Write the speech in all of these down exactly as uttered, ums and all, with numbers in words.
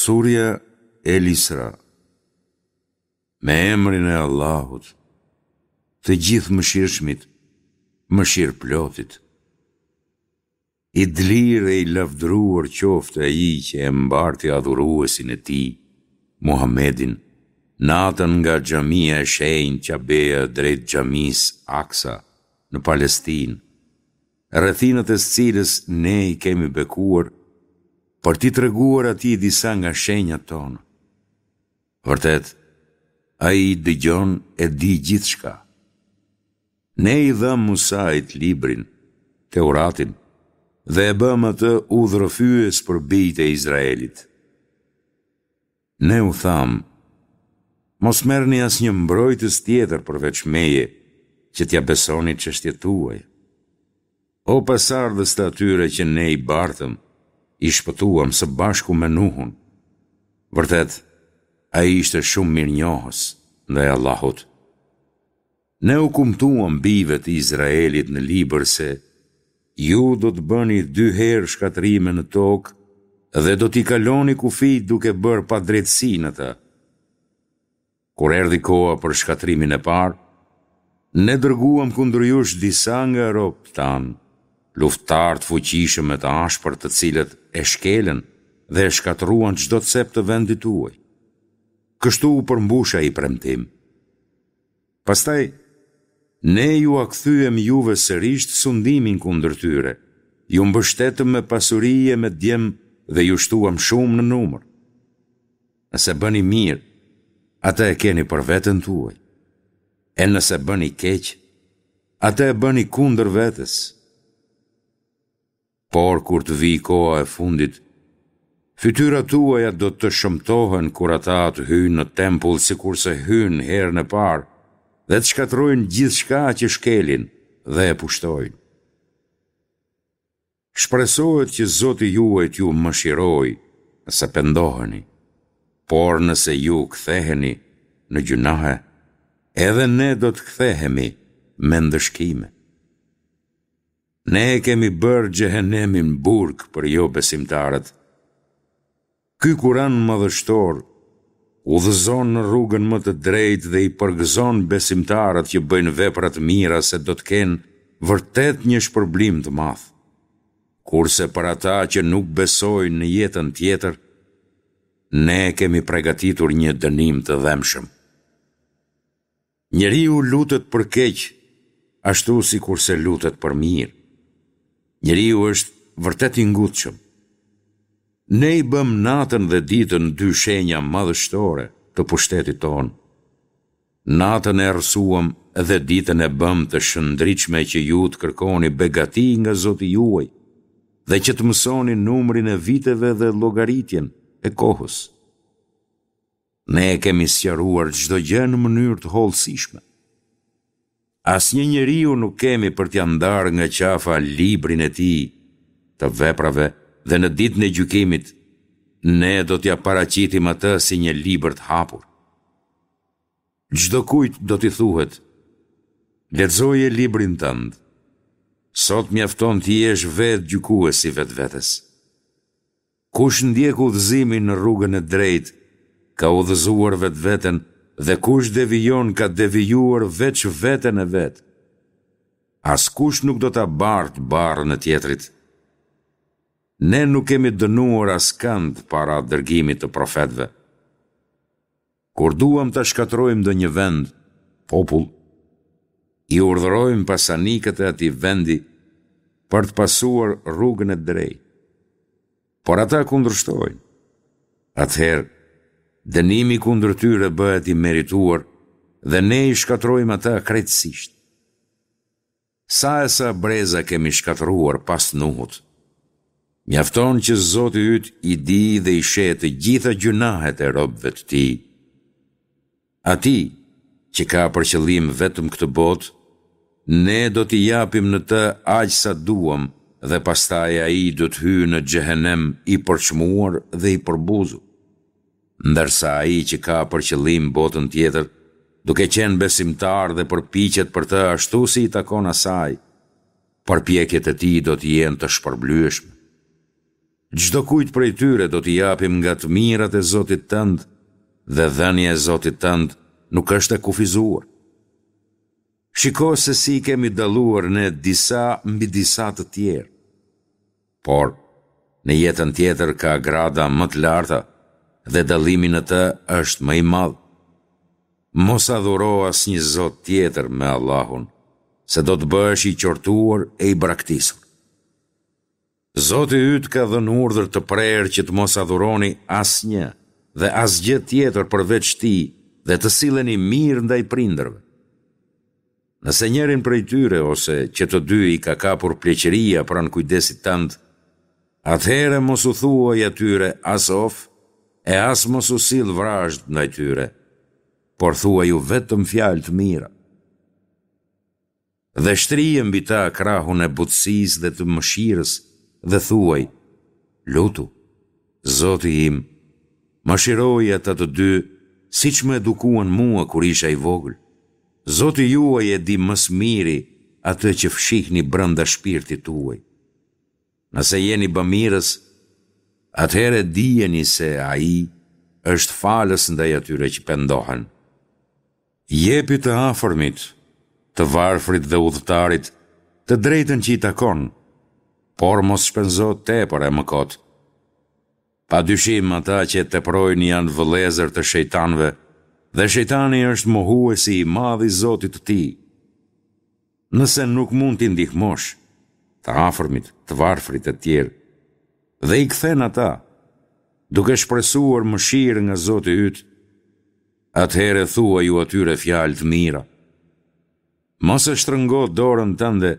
Surja El Isra. Me emrin e Allahut, të Gjithëmëshirshmit, Mëshirëplotit. I dlirë e i lavdëruar qoftë Ai që e mbarti adhuruesin e Tij, Muhammedin, natën nga xhamia e shenjtë Qabea drejt xhamisë Aksa në Palestinë, rrethinat e së cilës Ne i kemi bekuar për t'i treguar atij disa nga shenjat tona. Vërtet, Ai dëgjon e di gjithçka. Ne i dhamë Musait librin, Teuratin, dhe e bëmë atë udhërrëfyes për bijtë e Izraelit. Ne u thamë, Mos merrni asnjë mbrojtës tjetër përveç meje, që t'ia besoni çështjet tuaja. O pasardhës të atyre që ne i bartëm, i shpëtuam së bashku me Nuhun. Vërtet, ai ishte shumë mirënjohës ndaj Allahut. Ne u kumtuam bijve të Izraelit në libër se ju do të bëni dy herë shkatërrime në tokë dhe do t'i kaloni kufijtë duke bërë padrejtësi në të. Kur erdhi koha për shkatërrimin e parë, ne dërguam kundër jush disa nga robët tanë, luftëtarë të fuqishëm e të ashpër të cilët e shkelën dhe e shkatërruan çdo cep të vendit tuaj. Kështu u përmbush ai premtim. Pastaj, ne jua kthyem juve sërisht sundimin kundër tyre, ju mbështetëm me pasuri e me djem dhe ju shtuam shumë në numër. Nëse bëni mirë, atë e keni për veten tuaj. E nëse bëni keq, atë e bëni kundër vetes. Por kur të vijë koha e fundit, fytyrat tuaja do të shëmtohen kur ata të hyjnë në tempull sikurse hynë herën e parë dhe të shkatërrojnë gjithçka që shkelin dhe e pushtojnë. Shpresohet që Zoti juaj t'ju mëshirojë nëse pendoheni, por nëse ju ktheheni në gjynahe, edhe ne do të kthehemi me ndëshkime. Ne e kemi bërë xhehenemin burg për jobesimtarët. Ky Kuran madhështor udhëzon në rrugën më të drejtë dhe i përgëzon besimtarët që bëjnë vepra të mira se do të kenë vërtet një shpërblim të madh. Kurse për ata që nuk besojnë në jetën tjetër, ne kemi pregatitur një dënim të dhembshëm. Njeriu lutet për keq, ashtu sikurse lutet për mirë. Njeriu është vërtet i ngutshëm. Ne i bëmë natën dhe ditën dy shenja madhështore të pushtetit tonë. Natën e errësuam dhe ditën e bëmë të shndritshme që ju të kërkoni begati nga Zoti juaj dhe që të mësoni numrin e viteve dhe llogaritjen e kohës. Ne e kemi sqaruar çdo gjë në mënyrë të hollësishme. Asnjë njeriu nuk kemi për t'ia ndarë nga qafa librin e tij të veprave dhe në ditën e gjykimit ne do t'ia paraqitim atë si një libër të hapur. Çdokujt do t'i thuhet, Lexoje librin tënd. Sot mjafton të jesh vetë gjykues i vetvetes. Kush ndjek udhëzimin në rrugën e drejtë, ka udhëzuar vetveten dhe kush devijon ka devijuar veç veten e vet. Askush nuk do ta bartë barrën e tjetrit. Ne nuk kemi dënuar askënd para dërgimit të profetëve. Kur duam ta shkatërrojmë ndonjë vend, popull, i urdhërojmë pasanikët e atij vendi për të pasuar rrugën e drejtë. Por ata kundërshtojnë. Atëherë, dënimi kundër tyre bëhet i merituar dhe ne i shkatërrojmë ata krejtësisht. Sa e sa breza kemi shkatërruar pas Nuhut. Mjafton që Zoti yt i di dhe i sheh të gjitha gjynahet e robëve të Tij. Atij, që ka për qëllim vetëm këtë botë, Ne do t'i japim në të aq sa duam dhe pastaj ai do të hyjë në xhehenem i përçmuar dhe i përbuzur. Ndërsa ai që ka për qëllim botën tjetër, duke qenë besimtar dhe përpiqet për të ashtu si i takon asaj, përpjekjet e tij do të jenë të shpërblyeshme. Çdokujt prej tyre do t'i japim nga të mirat e Zotit tënd dhe dhënia e Zotit tënd nuk është e kufizuar. Shiko se si i kemi dalluar ne disa mbi disa të tjerë. Por, në jetën tjetër ka grada më të larta dhe dallimi në të është më i madh. Mos adhuro asnjë zot tjetër me Allahun, se do të bëhesh i qortuar e i braktisur. Zoti yt ka dhënë urdhër të prerë që të mos adhuroni asnjë dhe asgjë tjetër përveç Tij dhe të silleni mirë ndaj prindërve. Nëse njërin prej tyre ose që të dy i ka kapur pleqëria pranë kujdesit tënd, atëherë mos u thuaj atyre as of e as mos u sill vrazhdë ndaj tyre, por thuaju vetëm fjalë të mira. Dhe shtrije mbi ta krahun e butësisë dhe të mëshirës dhe thuaj, Lutu, Zoti im, mëshiroji ata të dy siç më edukuan mua kur isha i vogël. Zoti juaj e di më së miri atë që fshihni brenda shpirtit tuaj. Nëse jeni bamirës, atëherë dijeni se Ai është falës ndaj atyre që pendohen. Jepi të afërmit, të varfrit dhe udhëtarit, të drejtën që i takon, por mos shpenzo tepër e më kot. Pa dyshim ata që e teprojnë janë vëllezër të shejtanëve dhe shejtani është mohuesi i madh i Zotit të tij. Nëse nuk mund t'i ndihmosh, të afërmit, të varfrit e tjerë, dhe i kthen ata, duke shpresuar mëshirë nga Zoti yt, atëherë thuaju atyre fjalë të mira. Mos e shtrëngo dorën tënde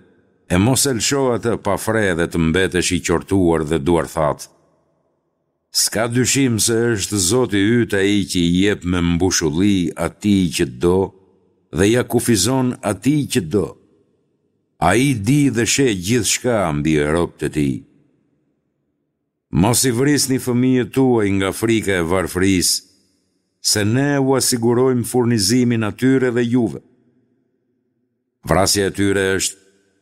e mos e lësho atë pa fre dhe të mbetesh i qortuar dhe duarthatë. S'ka dyshim se është Zoti yt ai që i jep me mbushulli atij që do dhe ia kufizon atij që do. Ai di dhe sheh gjithçka mbi robët e tij. Mos i vrisni fëmijët tuaj nga frika e varfërisë, se ne ua sigurojmë furnizimin atyre dhe juve. Vrasja e tyre është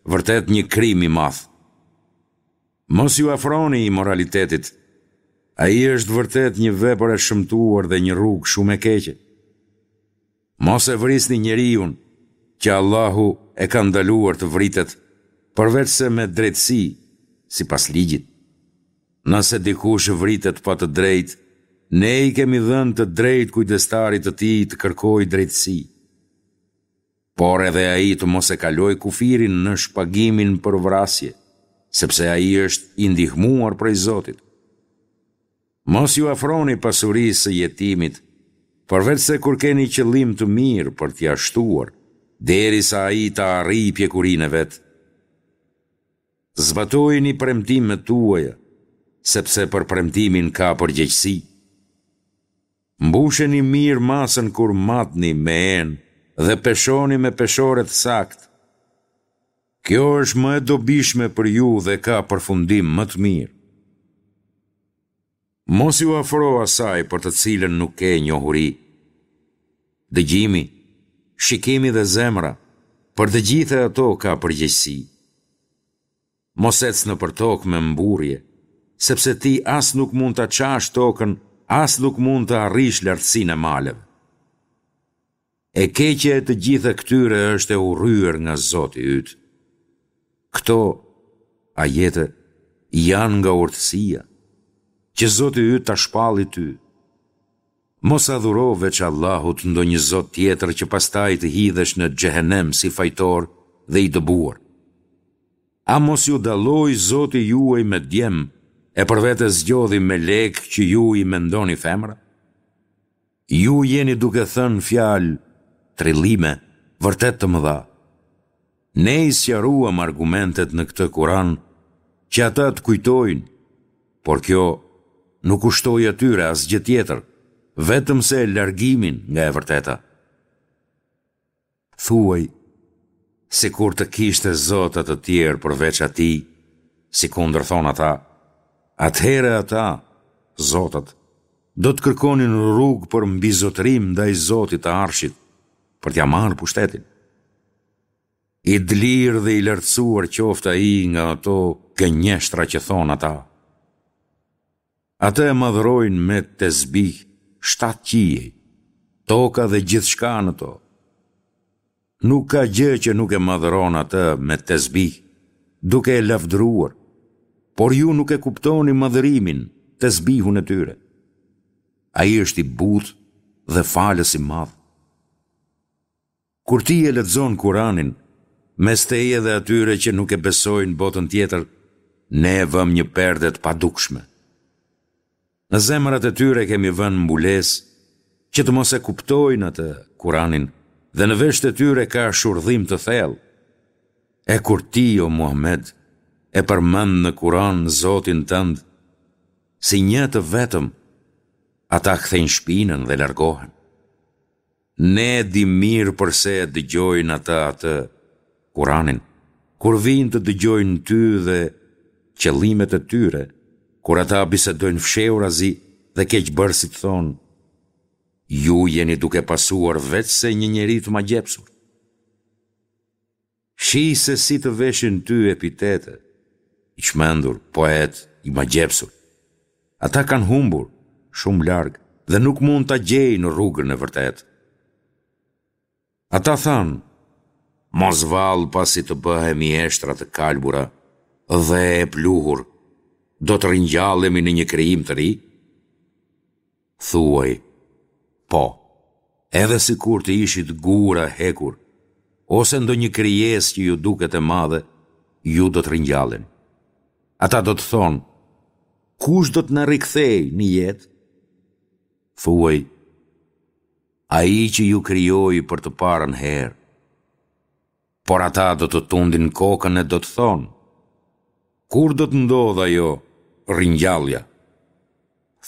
vërtet një krim i madh. Mos iu afroni imoralitetit. Ai është vërtet një vepër e shëmtuar dhe një rrugë shumë e keqe. Mos e vrisni njeriun që Allahu e ka ndaluar të vritet, përveçse me drejtësi, sipas ligjit. Nëse dikush vritet pa të drejtë, ne i kemi dhënë të drejtë kujdestarit të tij të kërkojë drejtësi. Por edhe ai të mos e kalojë kufirin në shpagimin për vrasje, sepse ai është i ndihmuar prej Zotit. Mos iu afroni pasurisë së jetimit, përveçse kur keni qëllim të mirë për t'ia shtuar, derisa ai të arrijë pjekurinë e vet. Zbatojini premtimet tuaja, sepse për premtimin ka përgjegjësi. Mbusheni mirë masën kur matni me enë dhe peshoni me peshore të saktë. Kjo është më e dobishme për ju dhe ka përfundim më të mirë. Mos iu afro asaj për të cilën nuk ke njohuri. Dëgjimi, shikimi dhe zemra, për të gjitha ato ka përgjegjësi. Mos ec nëpër tokë me mburrje, sepse ti as nuk mund ta çash tokën, as nuk mund të arrish lartësinë e maleve. E keqja e të gjitha këtyre është e urryer nga Zoti yt. Këto ajete janë nga urtësia, që Zoti yt ta shpalli ty. Mos adhuro veç Allahut ndonjë zot tjetër që pastaj të hidhesh në xhehenem si fajtor dhe i dëbuar. A mos ju dalloi Zoti juaj me djem e për vete zgjodhi melekë që ju i mendoni femra? Ju jeni duke thënë fjalë, trillime, vërtet të mëdha. Ne i sqaruam argumentet në këtë Kuran që ata të kujtojnë, por kjo nuk u shtoi atyre asgjë tjetër, vetëm se largimin nga e vërteta. Thuaj, sikur të kishte zota të tjerë përveç atij, sikundër thonë ata, atëherë ata, zotat, do të kërkonin rrugë për mbizotërim ndaj Zotit të Arshit, për t'ia marrë pushtetin. I dlirë dhe i lartësuar qoftë ai nga ato gënjeshtra që thonë ata. Atë e madhërojnë me tesbih shtatë qiej, toka dhe gjithçka në to. Nuk ka gjë që nuk e madhëron atë me tesbih, duke e lavdëruar, por ju nuk e kuptoni madhërimin, tesbihun e tyre. Ai është i butë dhe falës i madh. Kur ti e lexon Kuranin, mes teje dhe atyre që nuk e besojnë botën tjetër, ne e vëmë një perde të padukshme. Në zemrat e tyre kemi vënë mbulesë që të mos e kuptojnë atë, Kuranin, dhe në veshët e tyre ka shurdhim të thellë. E kur ti, o Muhamed, e përmend në Kuran Zotin tënd, si një të vetëm, ata kthejnë shpinën dhe largohen. Ne e dimë mirë përse e dëgjojnë ata atë, Kuranin, kur vijnë të dëgjojnë ty dhe qëllimet e tyre, kur ata bisedojnë fshehurazi dhe keqbërësit thonë, Ju jeni duke pasuar veçse një njeri të magjepsur. Shih se si të veshin ty epitete, i çmendur, poet, i magjepsur. Ata kanë humbur, shumë larg, dhe nuk mund ta gjejnë rrugën e vërtetë. Ata thanë, mos vallë pasi të bëhemi eshtra të kalbura dhe e pluhur, do të ringjallemi në një krijim të ri? Thuaj, Po, edhe sikur të ishit gurë a hekur, ose ndonjë krijesë që ju duket e madhe, ju do të ringjalleni. Ata do të thonë, Kush do të na rikthejë në jetë? Thuaj, Ai që ju krijoi për të parën herë. Por ata do të tundin kokën e do të thonë, Kur do të ndodhë ajo ringjallja?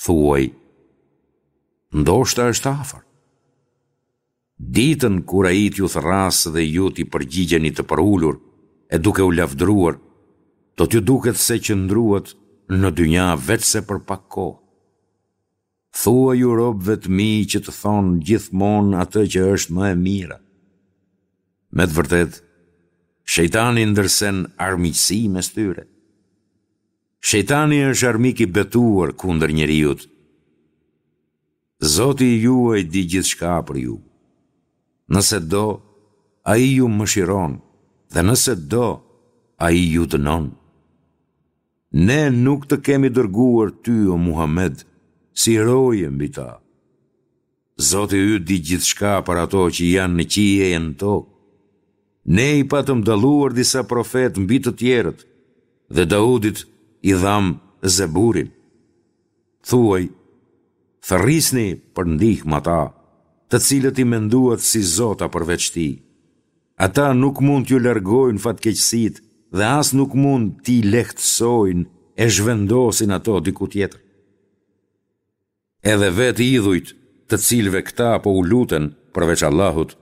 Thuaj, Ndoshta është afër. Ditën kur ai t'ju thërrasë dhe ju t'i përgjigjeni të përulur e duke u lavdëruar, do t'ju duket se qëndruat në dynja veçse për pak kohë. Thuaju robëve të mi që të thonë gjithmonë atë që është më e mira. Me të vërtetë, shejtani ndërsen armiqësi mes tyre. Shejtani është armik i betuar kundër njeriut. Zoti juaj di gjithçka për ju. Nëse do, ai ju mëshiron dhe nëse do, ai ju dënon. Ne nuk të kemi dërguar ty, o Muhamed, si roje mbi ta. Zoti yt di gjithçka për ato që janë në qiej e në tokë. Ne i patëm dalluar disa profetë mbi të tjerët dhe Daudit i dhamë Zeburin. Thuaj, thërrisni për ndihmë ata, të cilët i menduat si zota përveç tij. Ata nuk mund t'ju largojnë fatkeqësitë dhe as nuk mund t'i lehtësojnë e zhvendosin ato diku tjetër. Edhe vetë idhujt, të cilëve këta po u luten përveç Allahut,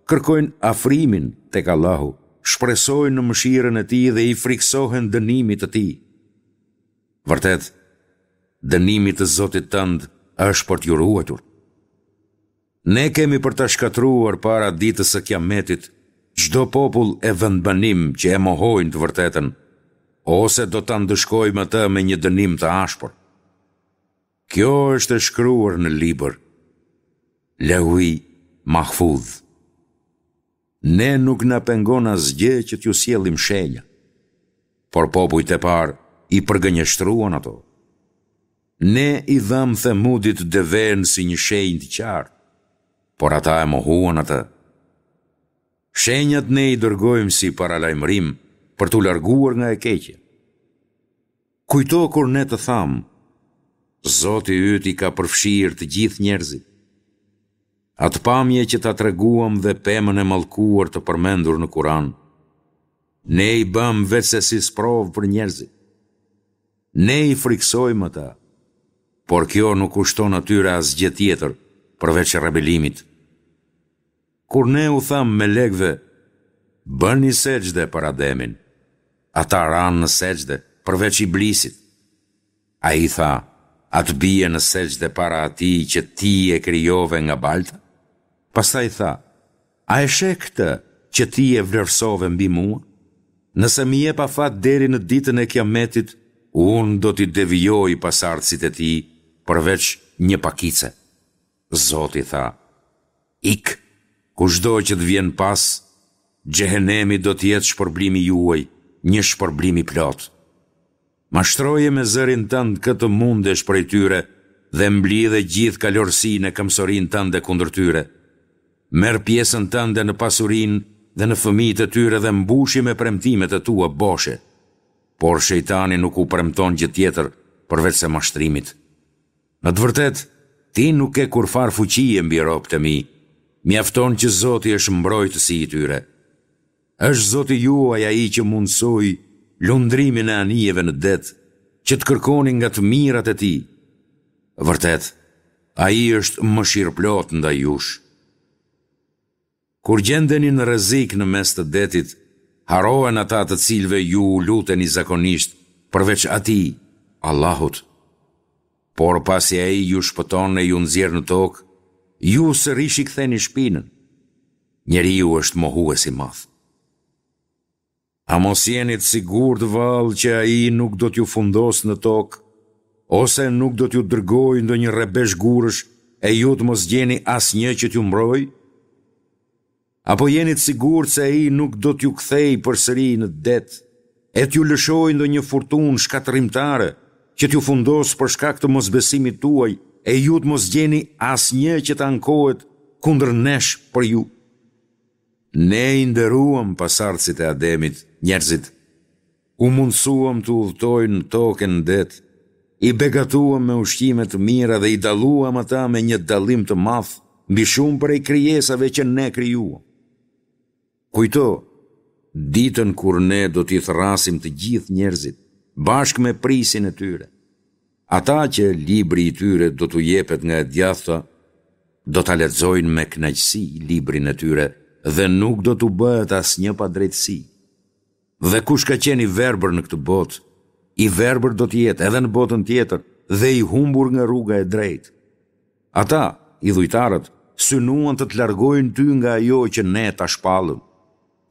kërkojnë afrimin tek Allahu, shpresojnë në mëshirën e Tij dhe i frikësohen dënimit të Tij. Vërtet, dënimi të Zotit tënd është për t'ju ruajtur. Ne kemi për ta shkatërruar para ditës së Kiametit çdo popull e vendbanim që e mohojnë të vërtetën, ose do ta ndëshkojmë atë me një dënim të ashpër. Kjo është e shkruar në libër, Leuhi Mahfudh. Ne nuk na pengon asgjë që t'ju sjellim shenja, por popujt e parë i përgënjeshtruan ato. Ne i dhamë Themudit devenë si një shenjë të qartë, por ata e mohuan atë. Shenjat ne i dërgojmë si paralajmërim për t'u larguar nga e keqja. Kujto kur ne të thamë, Zoti yt i ka përfshirë të gjithë njerëzit. Atë pamje që ta treguam dhe pemën e mallkuar të përmendur në Kur'an, ne i bëmë veçse si sprovë për njerëzit. Ne i frikësojmë ata, por kjo nuk u shton atyre asgjë tjetër përveç rebelimit. Kur ne u thamë melekëve, Bëni sexhde për Ademin, ata ranë në sexhde, përveç Iblisit. Ai tha, A të bie në sexhde para atij që ti e krijove nga balta? Pastaj tha, A e sheh këtë që ti e vlerësove mbi mua? Nëse më jep afat deri në ditën e Kiametit, Unë do t'i devijoj pasardhësit e tij përveç një pakice. Zoti tha, Ik, kushdo që të vjen pas, Xhehenemi do të jetë shpërblimi juaj, një shpërblim i plotë. Mashtroje me zërin tënd kë të mundesh prej tyre dhe mblidhe gjithë kalorësinë e këmbësorinë tënde kundër tyre. Merr pjesën tënde në pasurinë dhe në fëmijët e tyre dhe mbushi me premtimet e tua boshe. Por shejtani nuk u premton gjë tjetër përveçse mashtrimit. Në të vërtetë, ti nuk ke kurrfarë fuqie mbi robët e mi, mjafton që Zoti është mbrojtësi i tyre. Është Zoti juaj ai që mundësoi lundrimin e anijeve në det, që të kërkoni nga të mirat e tij. Vërtet, ai është mëshirëplotë ndaj jush. Kur gjendeni në rrezik në mes të detit, harrohen ata të cilëve ju u luteni zakonisht përveç Atij, Allahut. Por pasi Ai ju shpëton e ju nxjerr në tokë, ju sërish i ktheni shpinën. Njeriu është mohues i madh. A mos jeni të sigurt vallë që Ai nuk do t'ju fundosë në tokë, ose nuk do t'ju dërgojë ndonjë rrebesh gurësh e ju të mos gjeni asnjë që t'ju mbrojë? Apo jeni të sigurt se Ai nuk do t'ju kthejë përsëri në det, e t'ju lëshojë ndonjë furtunë shkatërrimtare, që t'ju fundosë për shkak të mosbesimit tuaj e ju të mos gjeni asnjë që të ankohet kundër nesh për ju? Ne i nderuam pasardhësit e Ademit, njerëzit. U mundësuam të udhëtojnë në tokë e në det, i begatuam me ushqime të mira dhe i dalluam ata me një dallim të madh mbi shumë prej krijesave që ne krijuam. Kujto ditën kur ne do t'i thërrasim të gjithë njerëzit, bashkë me prijësin e tyre. Ata që libri i tyre do t'u jepet nga e djathta, do ta lexojnë me kënaqësi librin e tyre dhe nuk do t'u bëhet asnjë padrejtësi. Dhe kush ka qenë i verbër në këtë botë, i verbër do të jetë edhe në botën tjetër dhe i humbur nga rruga e drejtë. Ata, idhujtarët, synuan të të largojnë ty nga ajo që ne ta shpallëm,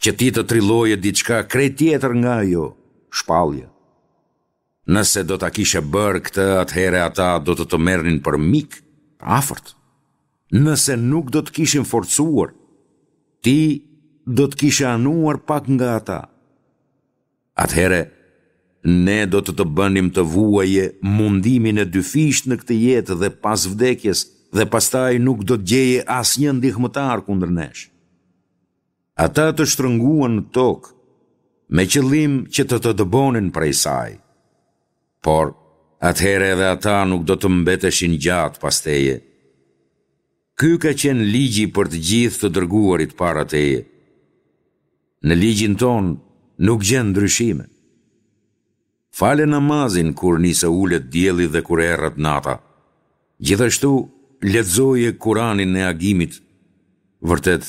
që ti të trilloje diçka krejt tjetër nga ajo, shpallja. Nëse do ta kishe bërë këtë atëherë ata do të të merrnin për mik të afërt. Nëse nuk do të kishin forcuar, ti do të kishe anuar pak nga ata. Atëherë ne do të të bënim të vuaje mundimin e dyfishtë në këtë jetë dhe pas vdekjes dhe pastaj nuk do të gjeje asnjë ndihmëtar kundër nesh. Ata të shtrënguan në tokë, me qëllim që të të dëbonin prej saj. Por, atëherë edhe ata nuk do të mbeteshin gjatë pas teje. Ky ka qenë ligji për të gjithë të dërguarit para teje. Në ligjin tonë nuk gjen ndryshime. Fale namazin kur nis e ulet dielli dhe kur erret nata. Gjithashtu, lexoje Kuranin e agimit. Vërtet,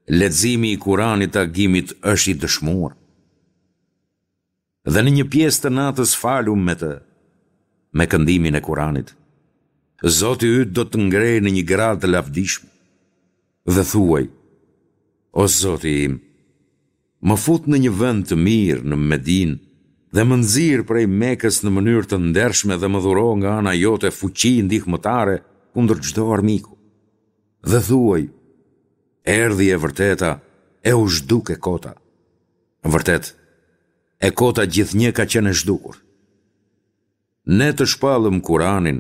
leximi i Kuranit të agimit është i dëshmuar. Dhe në një pjesë të natës falu me të, me këndimin e Kuranit. Zoti yt do të të ngrejë në një gradë të lavdishme. Dhe thuaj, O Zoti im, Më fut në një vend të mirë në Medinë dhe më nxir prej Mekës në mënyrë të ndershme dhe më dhuro nga ana jote fuqi ndihmëtare kundër çdo armiku. Dhe thuaj, erdhi e vërteta e u zhduk e kota. Vërtet, e kota gjithnjë ka qenë e zhdukur. Ne të shpallëm Kuranin,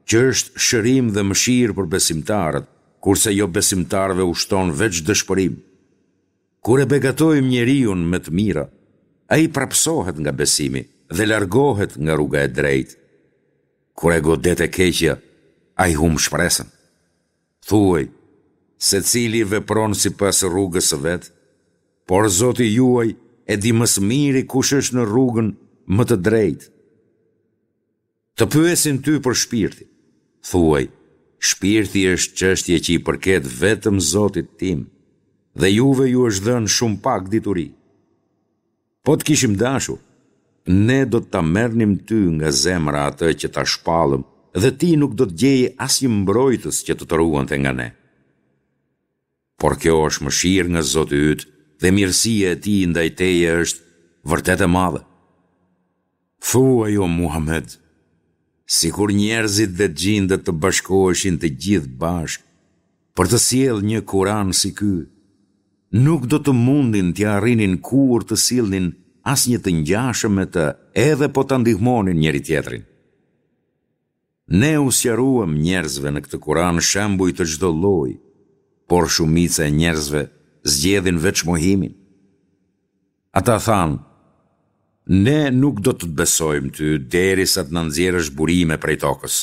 që është shërim dhe mëshirë për besimtarët, kurse jobesimtarëve u shton veç dëshpërim. Kur e begatojmë njeriun me të mira, ai prapësohet nga besimi dhe largohet nga rruga e drejtë. Kur e godet e keqja, ai humb shpresën. Thuaj, secili vepron sipas rrugës së vet, por Zoti juaj e di më së miri kush është në rrugën më të drejtë. Të pyesin ty për shpirtin. Thuaj, shpirti është çështje që i përket vetëm Zotit tim, dhe juve ju është dhënë shumë pak dituri. Po të kishim dashur, ne do të ta merrnim ty nga zemra atë që ta shpallëm dhe ti nuk do të gjeje asnjë mbrojtës që të të ruante nga ne. Por kjo është mëshirë nga Zoti yt dhe mirësia e tij ndaj teje është vërtet e madhe. Thuaj o Muhamed, sikur njerëzit dhe xhindët të bashkoheshin të gjithë bashkë për të sjellë një Kuran si ky, nuk do të mundin t'ia arrinin kurrë të sillnin asnjë të ngjashëm me të edhe po ta ndihmonin njëri-tjetrin. Ne u sqaruam njerëzve në këtë Kuran shembuj të çdo lloji, por shumica e njerëzve zgjedhin veç mohimin. Ata thanë, Ne nuk do të të besojmë ty derisa të na nxjerrësh burime prej tokës,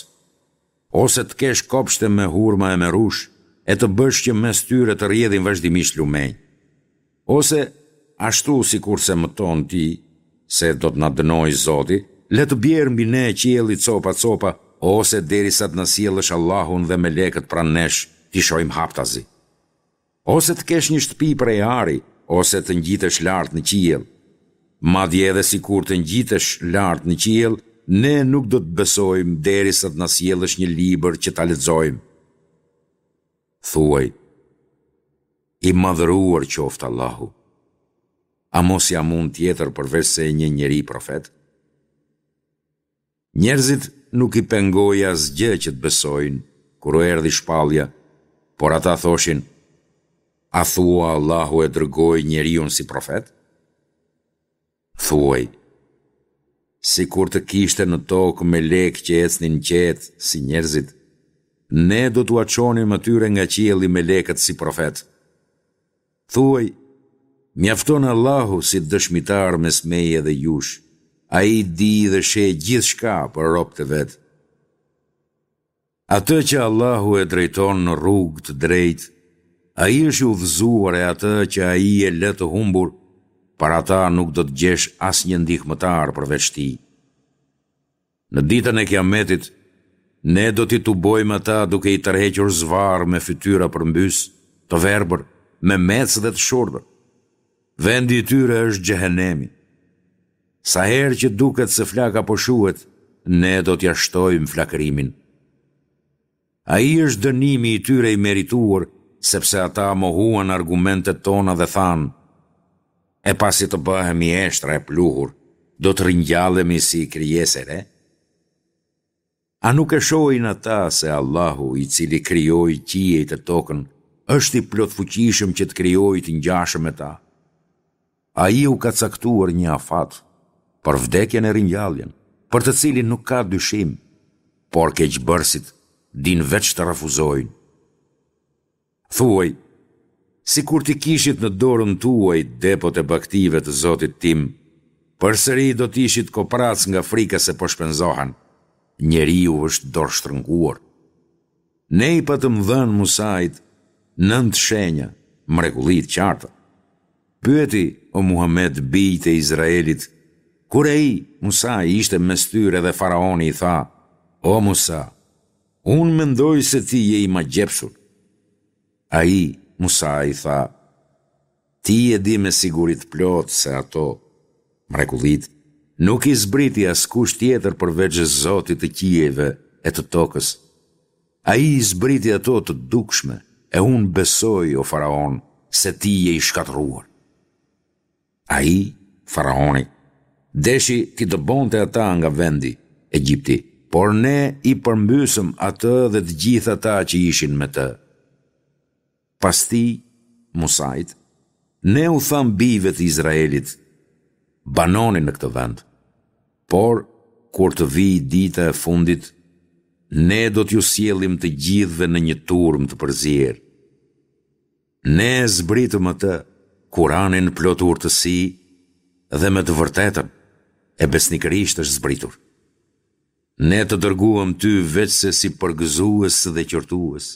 ose të kesh kopshte me hurma e me rrush, e të bësh që mes tyre të rrjedhin vazhdimisht lumenj. Ose, ashtu sikurse mëton ti, se do të na dënojë Zoti, le të bjerë mbi ne qielli copa-copa, ose derisa të na sjellësh Allahun dhe melekët pranë nesh, t'i shohim haptazi. Ose të kesh një shtëpi prej ari, ose të ngjitesh lart në qiell. Madje edhe sikur të ngjitesh lart në qiell, ne nuk do të besojmë derisa të na sjellësh një libër që ta lexojmë. Thuaj, i madhëruar qoftë Allahu. A mos jam unë tjetër përveçse një njeri profet? Njerëzit nuk i pengoi asgjë që të besojnë, kur u erdhi shpallja, por ata thoshin, A thua Allahu e dërgoi njeriun si profet? Thuaj, sikur të kishte në tokë melekë që ecnin qetë si njerëzit, ne do t'ua çonim atyre nga qielli melekët si profetë. Thuaj, Mjafton Allahu si dëshmitar mes meje dhe jush, Ai di dhe sheh gjithçka për robët e vet. Atë që Allahu e drejton në rrugë të drejtë, ai është i udhëzuar e atë që Ai e lë të humbur, për ata nuk do të gjesh asnjë ndihmëtar përveç Tij. Në ditën e Kiametit, Ne do t'i tubojmë ata duke i tërhequr zvarrë me fytyra përmbys, të verbër, memecë dhe të shurdhër. Vendi i tyre është Xhehenemi. Sa herë që duket se flaka po shuhet, Ne do t'ia shtojmë flakërimin. Ai është dënimi i tyre i merituar, sepse ata mohuan argumentet tona dhe thanë, E pasi të bëhemi eshtra e pluhur, do të ringjallemi si krijesë e re? A nuk e shohin ata se Allahu, i cili krijoi qiejt e tokën, është i plotfuqishëm që të krijojë të ngjashëm me ta? Ai u ka caktuar një afat për vdekjen e ringjalljen, për të cilin nuk ka dyshim, por keqbërësit dinë veç të refuzojnë. Thuaj, sikur t'i kishit në dorën tuaj depot e bagëtive të Zotit tim, përsëri do të ishit kopracë nga frika se po shpenzohen. Njeriu është dorështrënguar. Ne i patëm dhënë Musait nëntë shenja, mrekulli të qarta. Pyeti, o Muhamed, bijtë e Izraelit, kur ai, Musai, ishte mes tyre dhe faraoni i tha, O Musa, unë mendoj se ti je i magjepsur. Ai, Musai, tha, Ti e di me siguri të plotë se ato, mrekullitë, nuk i zbriti askush tjetër përveç Zotit të qiejve e të tokës. Ai i zbriti ato të dukshme, e unë besoj, o faraon, se ti je i shkatërruar. Ai, faraoni, deshi t'i dëbonte ata nga vendi, Egjipti, por ne i përmbysëm atë dhe të gjithë ata që ishin me të. Pas tij, Musait, ne u thamë bijve të Izraelit, Banoni në këtë vend, por, kur të vijë dita e fundit, ne do t'ju sjellim të gjithëve në një turmë të përzier. Ne e zbritëm atë, Kuranin plot urtësi dhe me të vërtetën, e besnikërisht është zbritur. Ne të dërguam ty veçse si përgëzues dhe qortues.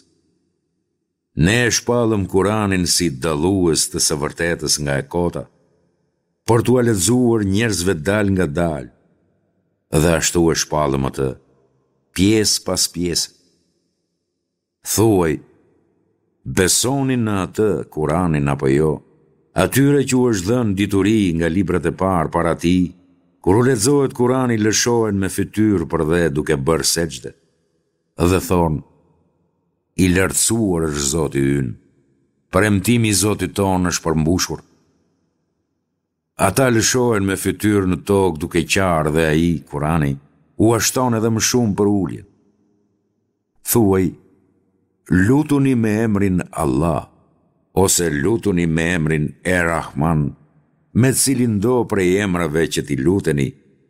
Ne e shpallëm Kuranin si dallues të së vërtetës nga e kota, për t'ua lexuar njerëzve dalëngadalë, dhe ashtu e shpallëm atë, pjesë pas pjese. Thuaj, besoni në atë, Kuranin apo jo, atyre që u është dhënë dituri nga librat e parë para tij, kur u lexohet Kurani lëshohen me fytyrë përdhe duke bërë sexhde, dhe thonë, I lartësuar është Zoti ynë. Premtimi i Zotit tonë është përmbushur. Ata lëshohen me fytyrë në tokë duke qarë dhe ai, Kurani, ua shton edhe më shumë përuljen. Thuaj, lutuni me emrin Allah, ose lutuni me emrin Er-Rahman, me cilindo prej emrave që t'i luteni,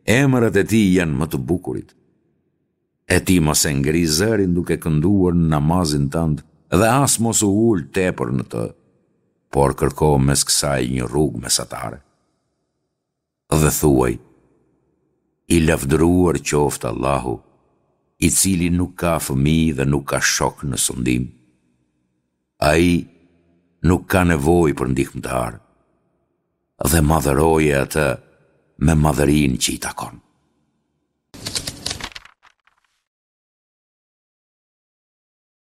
emrat e tij janë më të bukurit. E ti mos e ngri zërin duke kënduar në namazin tënd dhe as mos u ul tepër në të, por kërko mes kësaj një rrugë mesatare. Dhe thuaj, i lavdëruar qoftë Allahu, i cili nuk ka fëmijë dhe nuk ka shok në sundim. Ai nuk ka nevojë për ndihmëtar dhe madhëroje atë me madhërinë që i takon.